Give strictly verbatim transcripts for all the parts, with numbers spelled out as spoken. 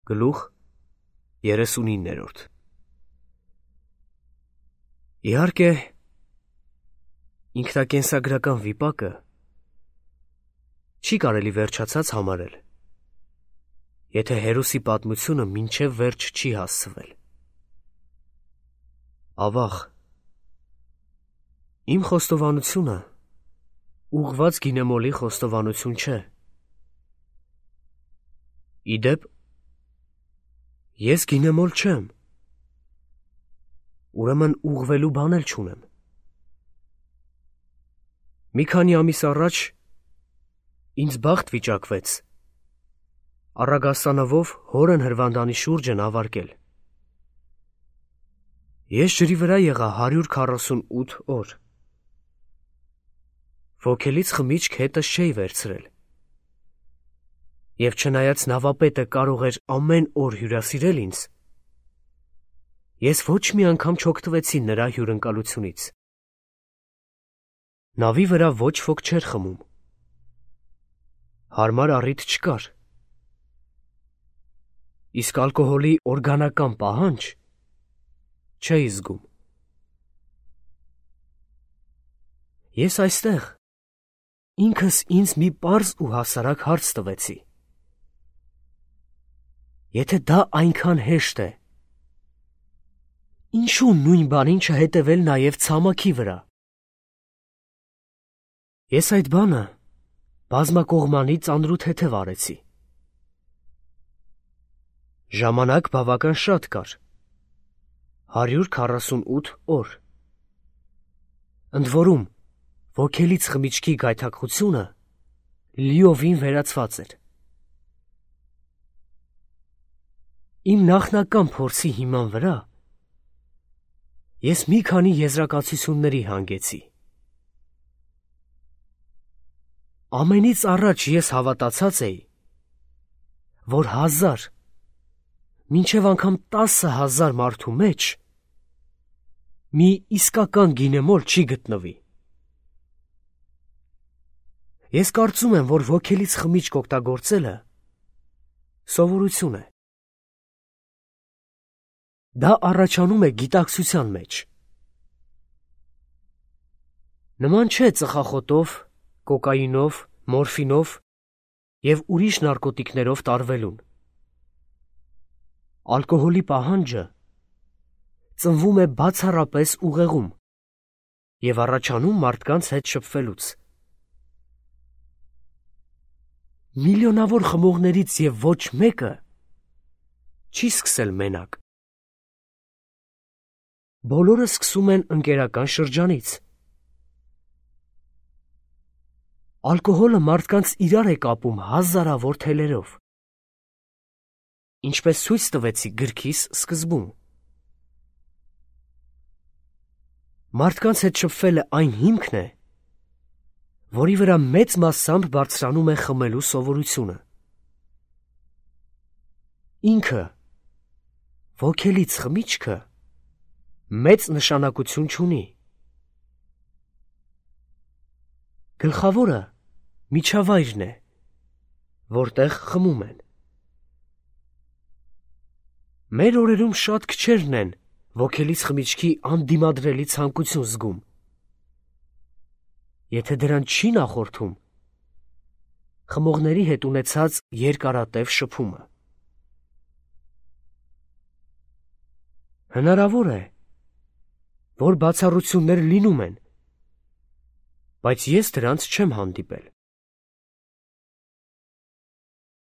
Գլուխ երեսունիններորդ Իհարկե, ինքնակենսագրական վիպակը չի կարելի վերջացած համարել, եթե հերոսի պատմությունը մինչև վերջ չի հասցվել։ Ավաղ, իմ խոստովանությունը ուղղված գինեմոլի խոստովանություն չէ։ Իդեպ, ես գինեմոլ չեմ, ուրեմն ուղղվելու բան էլ չունեմ։ Մի քանի ամիս առաջ ինձ բախտ վիճակվեց Առագաստանովով հորն հրվանդանի շուրջը նավարկել։ Ես ջրի վրա եղա հարյուր քառասունութ օր։ Ոգելից խմիչք հետս չէի վերցրել։ Եվ չնայած նավապետը կարող էր ամեն օր հյուրասիրել ինձ, ես ոչ մի անգամ չօգտվեցի նրա հյուրընկալությունից։ Նավի վրա ոչ ոք չէր խմում։ Հարմար առիթ չկար։ Իսկ ալկոհոլի օրգանական պահանջ չէի զգում։ Ես այստեղ ինքս ինձ մի պարզ ու հասարակ հարց տվեցի. եթե դա այնքան հեշտ է, ինչու նույն բանին չհետևել նաև ցամաքի վրա։ Ես այդ բանը բազմակողմանի ծանրութեթև արեցի։ Ժամանակ բավական շատ կար, հարյուր քառասունութ օր։ Ընդ որում, ոգելից խմիչքի գայթակղությունը լիովին վերացված էր։ Իմ նախնական փորձի հիման վրա ես մի քանի եզրակացությունների հանգեցի։ Ամենից առաջ ես հավատացած էի, որ հազար, մինչև անգամ տասը հազար մարդու մեջ մի իսկական գինեմոլ չի գտնվի։ Ես կարծում եմ, որ ոգելից խմիչք օգտագործելը սովորություն է։ Դա առաջանում է գիտակցության մեջ։ Նման չէ ծխախոտով, կոկաինով, մորֆինով և ուրիշ նարկոտիկներով տարվելուն։ Ալկոհոլի պահանջը ծնվում է բացառապես ուղեղում և առաջանում մարդկանց հետ շփվելուց։ Միլիոնավոր խմողներից և ոչ մեկը չի սկսել մենակ։ Բոլորը սկսում են ընկերական շրջանից։ Ալկոհոլը մարդկանց իրար է կապում հազարավոր թելերով, ինչպես ցույց տվեցի գրքիս սկզբում։ Մարդկանց հետ շփվելը այն հիմքն է, որի վրա մեծ մասամբ բարձրանում է խմելու սովորությունը։ Ինքը, ոգելից խմիչքը, մեծ նշանակություն չունի։ Գլխավորը միջավայրն է, որտեղ խմում են։ Մեր օրերում շատ քչերն են ոգելից խմիչքի անդիմադրելի ցանկություն զգում, եթե դրան չի նախորդում խմողների հետ ունեցած երկարատև շփումը։ Հնարավոր է, որ բացառություններ լինում են, բայց ես դրանց չեմ հանդիպել։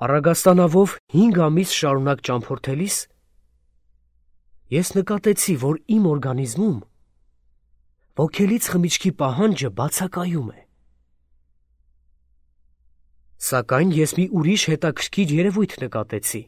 Առագաստանավով հինգ ամիս շարունակ ճամփորդելիս ես նկատեցի, որ իմ օրգանիզմում ոգելից խմիչքի պահանջը բացակայում է։ Սակայն ես մի ուրիշ հետաքրքիր երևույթ նկատեցի։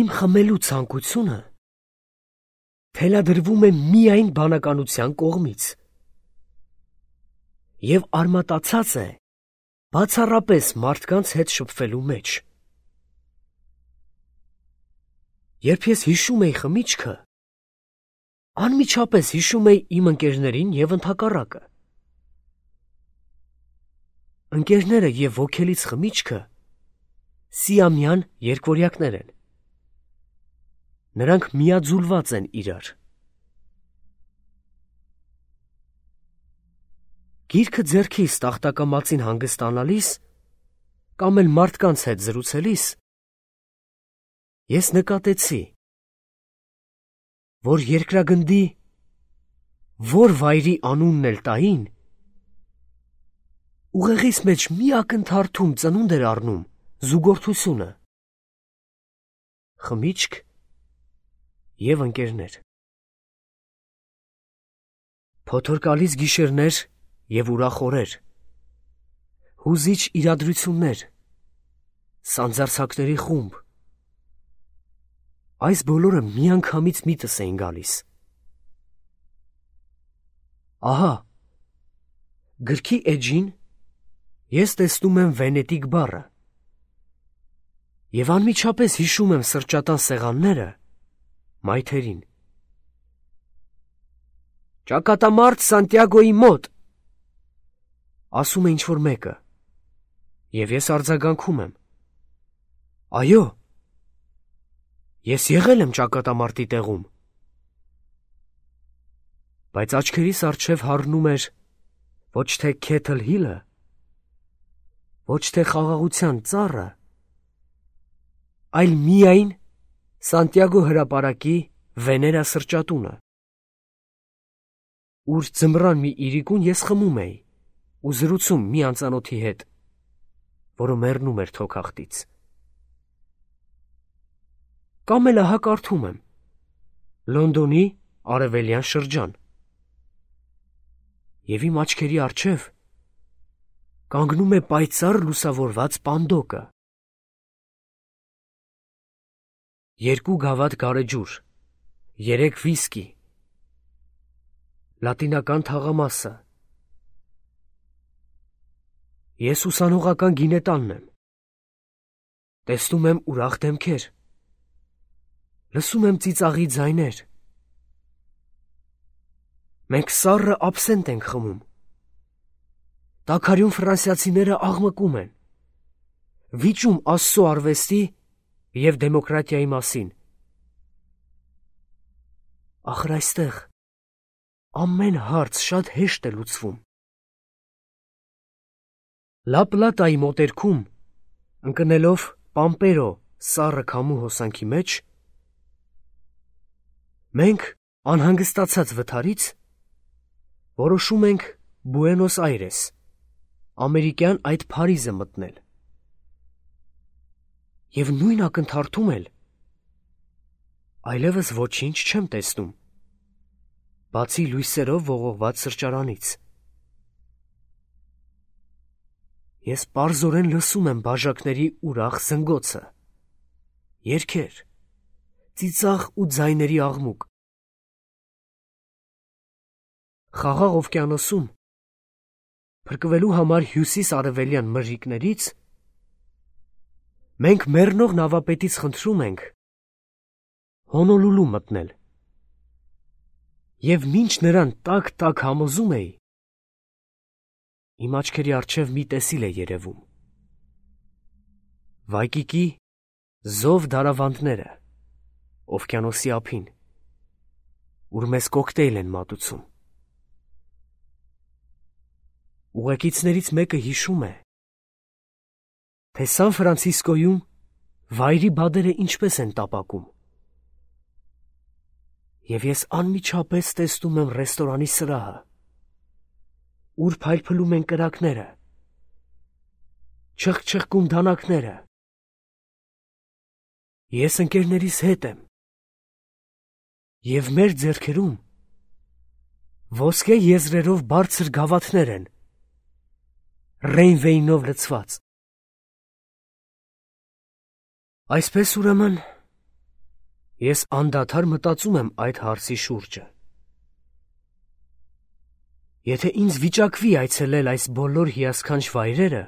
Իմ խմելու ցանկությունը թելադրվում է միայն բանականության կողմից և արմատացած է բացառապես մարդկանց հետ շփվելու մեջ։ Երբ ես հիշում էի խմիչքը, անմիջապես հիշում էի իմ ընկերներին և ընդհակառակը։ Ընկերները և ոգելից խմիչքը Սիամյան երկվորյակներ են։ Նրանք միաձուլված են իրար։ Գիրքը ձեռքիս տախտակամածին հանգստանալիս կամ էլ մարդկանց հետ զրուցելիս ես նկատեցի, որ երկրագնդի որ վայրի անունն էլ տային, ուղեղիս մեջ մի ակնթարթում ծնունդ էր առնում զուգորդությունը, խմիչք և ընկերներ, փոթորկալից գիշերներ և ուրախ օրեր, հուզիչ իրադրություններ, սանձարձակների խումբ, այս բոլորը միանգամից միտս էին գալիս։ Ահա, գրքի էջին ես տեսնում եմ Վենետիկ բառը և անմիջապես հիշում եմ սրճատան սեղանները մայթերին։ Ճակատամարտ Սանտիագոյի մոտ, ասում է ինչ-որ մեկը, և ես արձագանքում եմ. այո, ես եղել եմ ճակատամարտի տեղում, բայց աչքերիս առջև հառնում էր ոչ թե Քեթլ Հիլը, ոչ թե խաղաղության ծառը, այլ միայն Սանտիագո հրապարակի Վեներա սրճատունը, ուր ձմռան մի իրիկուն ես խմում էի ու զրուցում մի անծանոթի հետ, որը մեռնում էր թոքախտից։ Կամ էլ ահա կարդում եմ Լոնդոնի արևելյան շրջան և իմ աչքերի առջև կանգնում է պայծառ լուսավորված պանդոկը, երկու գավաթ գարեջուր, երեք վիսկի, լատինական թաղամասը, ես ուսանողական գինետանն եմ, տեսնում եմ ուրախ դեմքեր, լսում եմ ծիծաղի ձայներ, մենք սառը աբսենտ ենք խմում, տաքարյուն ֆրանսիացիները աղմկում են, վիճում Աստծո արվեստի և դեմոկրատիայի մասին։ Ախր այստեղ ամեն հարց շատ հեշտ է լուծվում։ Լա Պլատայի մոտերքում, ընկնելով Պամպերո սառը քամու հոսանքի մեջ, մենք անհանգստացած վթարից որոշում ենք Բուենոս Այրես, ամերիկյան այդ Փարիզը մտնել։ Եվ նույն ակնթարթում էլ այլևս ոչինչ չեմ տեսնում, բացի լույսերով ողողված սրճարանից։ Ես պարզորեն լսում եմ բաժակների ուրախ զնգոցը, երգեր, ծիծաղ ու ձայների աղմուկ։ Խաղաղ օվկիանոսում, փրկվելու համար հյուսիս-արևելյան մրրիկներից, մենք մեռնող նավապետից խնդրում ենք Հոնոլուլու մտնել, և մինչ նրան տաք-տաք համոզում էի, իմ աչքերի առջև մի տեսիլ է երևում. Վայկիկի զով դարավանդները օվկիանոսի ափին, ուր մեզ կոկտեյլ են մատուցում։ Ուղեկիցներից մեկը հիշում է, թե Սան Ֆրանցիսկոյում վայրի բադերը ինչպես են տապակում, և ես անմիջապես տեսնում եմ ռեստորանի սրահը, ուր փայլփլում են կրակները, չխկչխկում դանակները։ Ես ընկերներիս հետ եմ, և մեր ձեռքերում ոսկե եզրերով բարձր գավաթներ են, Ռեյնվեյնով լցված։ Այսպես ուրեմն, ես անդադար մտածում եմ այդ հարցի շուրջը։ Եթե ինձ վիճակվի այցելել այս բոլոր հիասքանչ վայրերը,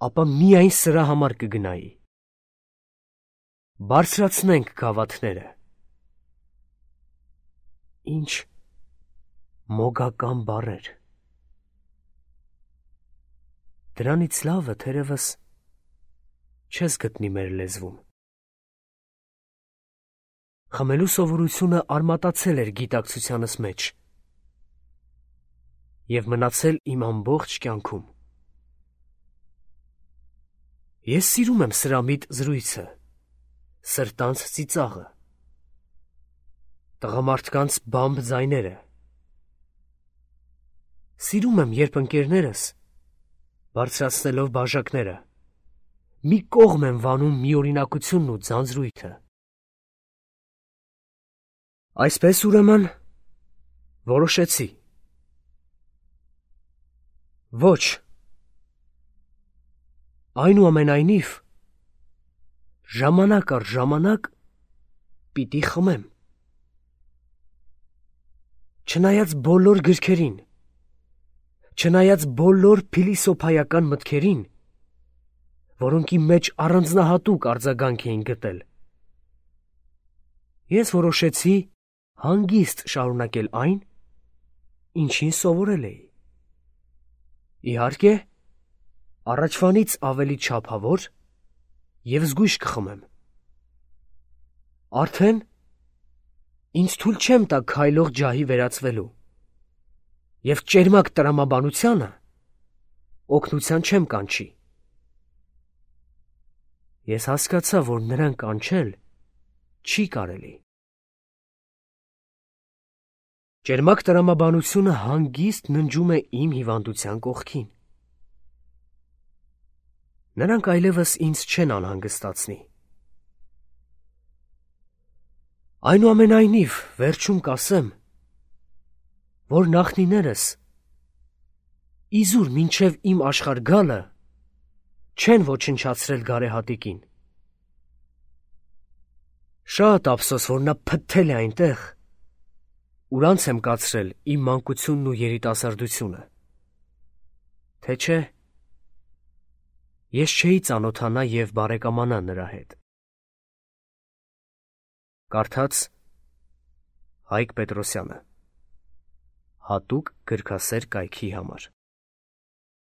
ապա միայն սրա համար կգնայի։ Բարձրացնենք գավաթները։ Ինչ մոգական բառեր։ Դրանից լավը թերևս չես գտնի մեր լեզվում։ Խմելու սովորությունը արմատացել էր գիտակցությանս մեջ և մնացել իմ ամբողջ կյանքում։ Ես սիրում եմ սրամիտ զրույցը, սրտանց ծիծաղը, տղամարդկանց բամբ ձայները։ Սիրում եմ, երբ ընկերներս, բարձրացնելով բաժակները, մի կողմ են վանում միօրինակությունն ու ձանձրույթը։ Այսպես ուրեմն որոշեցի։ Ոչ, այնուամենայնիվ, ժամանակ առ ժամանակ պիտի խմեմ։ Չնայած բոլոր գրքերին, չնայած բոլոր փիլիսոփայական մտքերին, որոնք իմ մեջ առանձնահատուկ արձագանք էին գտել, ես որոշեցի հանգիստ շարունակել այն, ինչին սովորել էի։ Իհարկե, առաջվանից ավելի չափավոր և զգույշ կխմեմ։ Արդեն ինձ թույլ չեմ տա քայլող ջահի վերածվելու և ճերմակ տրամաբանությանը օգնության չեմ կանչի։ Ես հասկացա, որ նրան կանչել չի կարելի։ Ճերմակ տրամաբանությունը հանգիստ ննջում է իմ հիվանդության կողքին։ Նրանք այլևս ինձ չեն անհանգստացնի։ Այնուամենայնիվ, վերջում կասեմ, որ նախնիներս իզուր մինչև իմ աշխարհ գալը չեն ոչնչացրել գարեհատիկին։ Շատ ափսոս, որ նա փթթել է այնտեղ, ուր անց եմ կացրել իմ մանկությունն ու երիտասարդությունը, թե չէ, ես չէի ծանոթանա և բարեկամանա նրա հետ։ Կարդաց Հայկ Պետրոսյանը, հատուկ գրքասեր կայքի համար։